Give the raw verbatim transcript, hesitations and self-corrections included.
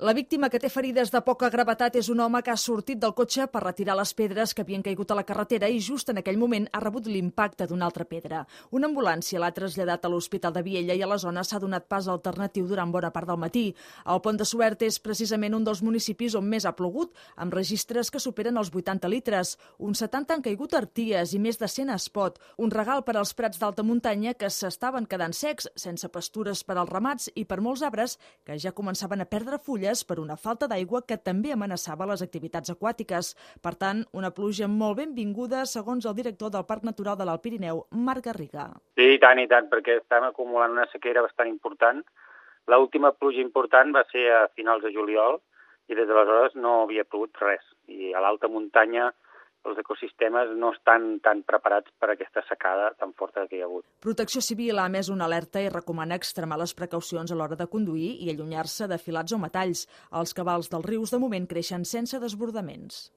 La víctima, que té ferides de poca gravetat, és un home que ha sortit del cotxe per retirar les pedres que havien caigut a la carretera i just en aquell moment ha rebut l'impacte d'una altra pedra. Una ambulància l'ha traslladat a l'Hospital de Viella i a la zona s'ha donat pas alternatiu durant bona part del matí. El Pont de Suert és precisament un dels municipis on més ha plogut, amb registres que superen els vuitanta litres. Uns setanta han caigut arties i més de cent a espot. Un regal per als prats d'alta muntanya que s'estaven quedant secs, sense pastures per als ramats i per molts arbres que ja començaven a perdre fulles per una falta d'aigua que també amenaçava les activitats aquàtiques. Per tant, una pluja molt benvinguda, segons el director del Parc Natural de l'Alt Pirineu, Marc Garriga. Sí, i tant, i tant, perquè estem acumulant una sequera bastant important. L'última pluja important va ser a finals de juliol i des d'aleshores no havia plogut res. I a l'alta muntanya els ecosistemes no estan tan preparats per aquesta secada tan forta que hi ha hagut. Protecció Civil ha emès una alerta i recomana extremar les precaucions a l'hora de conduir i allunyar-se de filats o metalls. Els cabals dels rius de moment creixen sense desbordaments.